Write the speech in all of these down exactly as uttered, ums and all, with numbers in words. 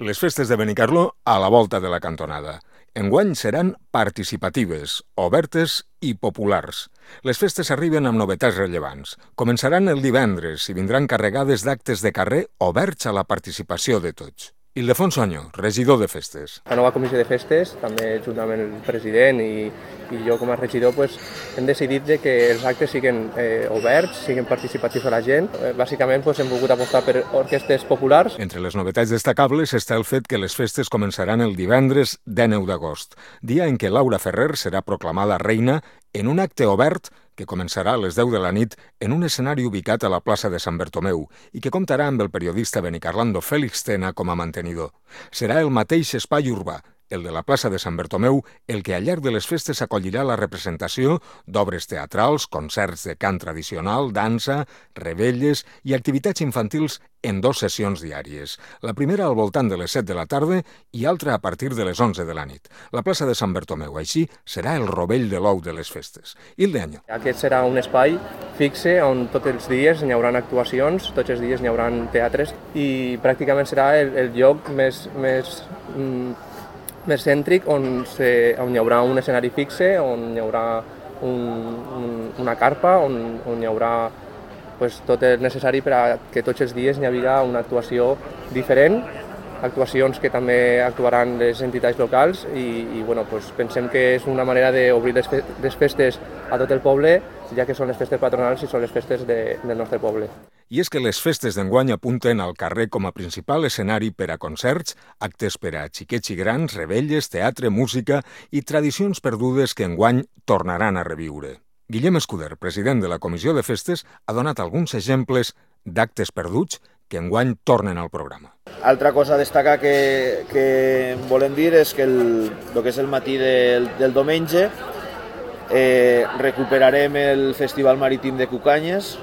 Les festes de Benicarló a la volta de la cantonada. Enguany seran participatives, obertes i populars. Les festes arriben amb novetats rellevants. Començaran el divendres i vindran carregades d'actes de carrer oberts a la participació de tots. Ildefonso Añó, regidor de festes. La nova comissió de festes, també juntament el president i, i jo com a regidor, pues, hem decidit de que els actes siguin eh, oberts, siguin participatius a la gent. Eh, bàsicament pues, hem volgut apostar per orquestes populars. Entre les novetats destacables està el fet que les festes començaran el divendres dinou d'agost, dia en què Laura Ferrer serà proclamada reina en un acte obert que començarà a les deu de la nit en un escenari ubicat a la plaça de Sant Bertomeu i que comptarà amb el periodista benicarlando Félix Tena com a mantenidor. Serà el mateix espai urbà, el de la plaça de Sant Bertomeu, el que al llarg de les festes acollirà la representació d'obres teatrals, concerts de cant tradicional, dansa, revetlles i activitats infantils en dues sessions diàries. La primera al voltant de les set de la tarda i altra a partir de les onze de la nit. La plaça de Sant Bertomeu, així, serà el rovell de l'ou de les festes. Ildefonso. Aquest serà un espai fixe on tots els dies hi haurà actuacions, tots els dies hi haurà teatres i pràcticament serà el, el lloc més... més mm, més cèntric on, se, on hi haurà un escenari fixe, on hi haurà un, un, una carpa, on, on hi haurà pues, tot el necessari per a que tots els dies hi hagi una actuació diferent, actuacions que també actuaran les entitats locals i, i bueno, pues, pensem que és una manera d'obrir les, fe les festes a tot el poble, ja que són les festes patronals i són les festes de, del nostre poble. I és que les festes d'enguany apunten al carrer com a principal escenari per a concerts, actes per a xiquets i grans, revetlles, teatre, música i tradicions perdudes que enguany tornaran a reviure. Guillem Escuder, president de la Comissió de Festes, ha donat alguns exemples d'actes perduts que enguany tornen al programa. Altra cosa a destacar que, que volem dir és que el, el que és el matí del, del diumenge eh, recuperarem el Festival Marítim de Cucanyes,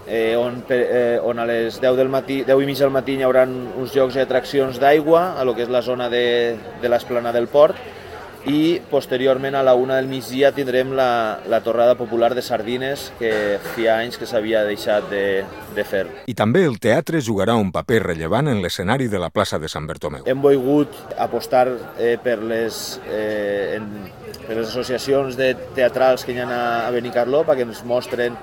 eh, on, eh, on a les deu del matí, deu i mig del matí hi haurà uns jocs i atraccions d'aigua a lo que és la zona de, de l'esplanada del port i posteriorment a la una del migdia tindrem la, la torrada popular de sardines que feia anys que s'havia deixat de, de fer. I també el teatre jugarà un paper rellevant en l'escenari de la plaça de Sant Bertomeu. Hem volgut apostar eh, per, les, eh, en, per les associacions de teatrals que hi ha a Benicarló perquè ens mostren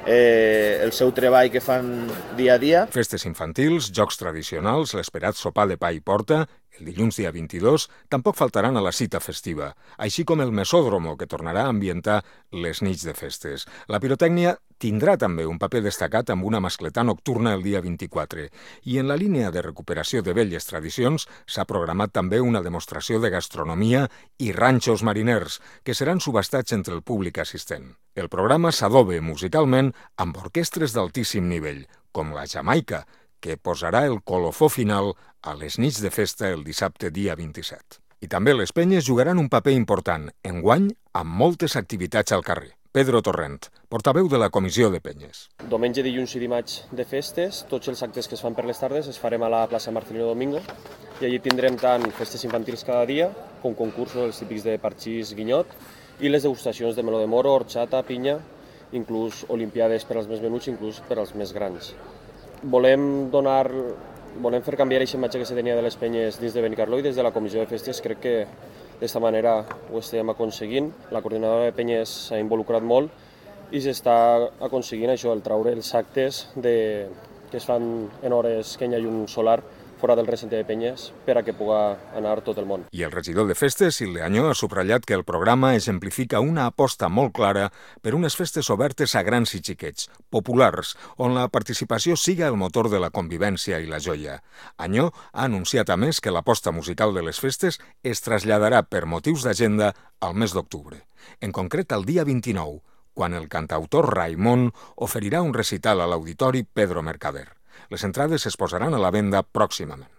eh, el seu treball que fan dia a dia. Festes infantils, jocs tradicionals, l'esperat sopar de pa i porta, el dilluns dia vint-i-dos, tampoc faltaran a la cita festiva, així com el mesòdromo, que tornarà a ambientar les nits de festes. La pirotècnia tindrà també un paper destacat amb una mascletà nocturna el dia vint-i-quatre. I en la línia de recuperació de velles tradicions s'ha programat també una demostració de gastronomia i ranxos mariners, que seran subhastats entre el públic assistent. El programa s'adobe musicalment amb orquestres d'altíssim nivell, com la Jamaica, que posarà el colofó final a les nits de festa el dissabte dia vint-i-set. I també les penyes jugaran un paper important, enguany amb moltes activitats al carrer. Pedro Torrent, portaveu de la Comissió de Penyes. Diumenge, dilluns i dimarts de festes, tots els actes que es fan per les tardes es farem a la plaça Marcelino Domingo i allí tindrem tant festes infantils cada dia com concursos els típics de parxís, guinyot i les degustacions de meló de moro, horchata, pinya, inclús olimpiades per als més menuts, inclús per als més grans. Volem donar, volem fer canviar aquesta imatge que se tenia de les penyes dins de Benicarló i des de la Comissió de Festes crec que d'esta manera ho estem aconseguint. La coordinadora de penyes s'ha involucrat molt i s'està aconseguint això, el traure els actes de, que es fan en hores que hi ha llum solar fora del recinte de penyes per a que puga anar tot el món. I el regidor de festes, Ildefonso, ha subratllat que el programa exemplifica una aposta molt clara per unes festes obertes a grans i xiquets, populars, on la participació siga el motor de la convivència i la joia. Añó ha anunciat a més que l'aposta musical de les festes es traslladarà per motius d'agenda al mes d'octubre. En concret, el dia vint-i-nou, quan el cantautor Raimon oferirà un recital a l'Auditori Pedro Mercader. Les entrades es posaran a la venda pròximament.